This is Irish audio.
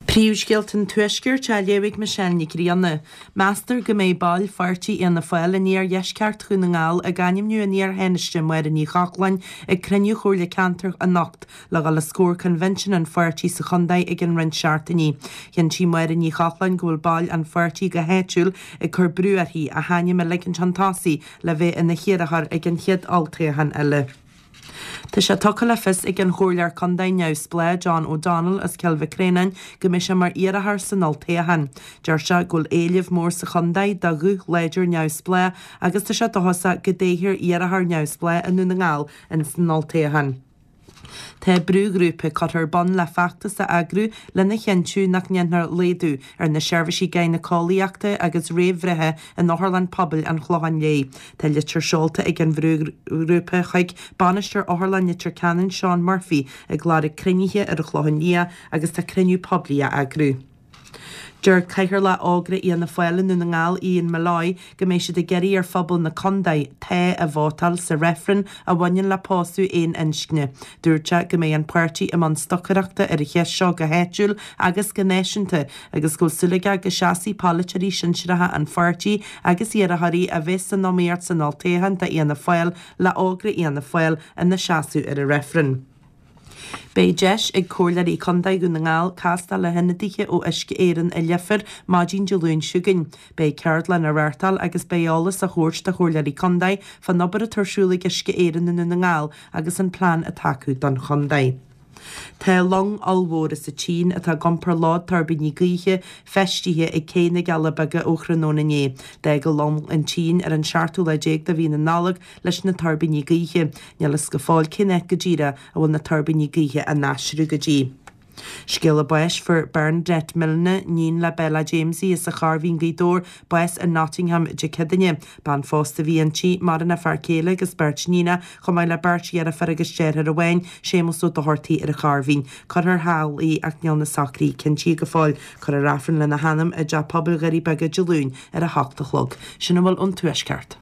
Príomhscéalta an Tuaiscirt á léamh ag Michelle Nic Grianna. Meastar go mbeidh baill pháirtí Fhianna Fáil in iardheisceart Dhún na nGall ag ainmniú an iar-Thánaiste Máire Ní Chochláin ag cruinniú Chomhairle Ceantair anocht le dhul os comhair coinbhinsean an pháirtí sa chontae i gcionn roinnt seachtainí. Chinntigh Máire Ní Chochláin go bhfuil baill an pháirtí go háitiúil ag cur brú uirthi a hainm a ligint chun tosaigh le bheith ina hiarrthóir ag an chéad olltoghchán eile. Tá sé tugtha le fios ag an Chomhairleoir Contae neamhspleách John O'Donnell as Cill Mhic Réanáin go mbeidh sé mar iarrthóir san olltoghchán. Deir sé go bhfuil éileamh mór sa chontae do ghuth láidir neamhspleách agus tá sé dóchasach go dtoghfar iarrthóir neamhspleách i nDún na nGall ins an olltoghchán. Tá brúghrúpa curtha ar bun le feachtas a eagrú lena chinntiú nach ndéanfar laghdú ar na seirbhísí gynaecoalaíochta agus réamhbhreithe in Otharlann Pobail an Chlocháin Léith. Tá litir seolta ag an bhrúghrúpa chuig Bainisteoir Otharlann Leitir Ceanainn Seán Murphy ag lorg cruinnithe ar an Chlochán Liath agus tá cruinniú poiblí á eagrú. Deir Cathaoirleach Ógra Fhianna Fáil i nDún na nGall, Ian Molloy, go mbeidh siad ag iarraidh ar phobal na contae 'Tá' a vótáil sa reifreann a bhaineann le pósadh aon inscne. Dúirt sé go mbeidh an páirtí i mbun stocaireachta ar an cheist seo go háitiúil agus go náisiúnta agus go bhfuil súil aige go seasfaidh polaiteoirí sinsearacha an pháirtí agus iarrthóirí a bheas san iomaíocht san olltoghchán do Fhianna Fáil le Ógra Fhianna Fáil ina seasamh ar an reifreann. Beidh deis ag Comhairleoirí Contae Dhún na nGall castáil le hionadaithe ó Uisce Éireann i Leifear maidin Dé Luain seo chugainn. Beidh ceardlann á reáchtáil agus beidh eolas á thabhairt do Chomhairleoirí Contae fán obair atá ar siúl ag Uisce Éireann i nDún na nGall agus an plean atá acu don chontae. Tá long ollmhór as an tSín atá ag iompar lód tuirbíní gaoithe feistithe ag Cé na gCealla Beaga ó thráthnóna inné. D'fhág an long an tSín ar an seachtú lá déag de mhí na Nollag leis na tuirbíní gaoithe. Níl fhios go fóill cén áit go díreach a bhfuil na tuirbíní gaoithe á n-aistriú go dtí. Scéala báis Fuair Bernadette Milne, níon le Bella Jamesie as an Chorr Mhín Gaoth Dobhair, bás i Nottingham Dé Céadaoine. Bean phósta a bhí inti, maireann a fear céile agus beirt níonach, chomh maith le beirt dheirfiúr agus deartháir amháin, Séamus Ó Dochartaigh ar an Chorr Mhín. Cuirfear thall í ach níl na socruithe cinntithe go fóill. Cuirfear Aifreann lena hanam i dTeach Pobail Dhoirí Beaga Dé Luain ar a hocht a chlog. Sin a bhfuil ón Tuaisceart.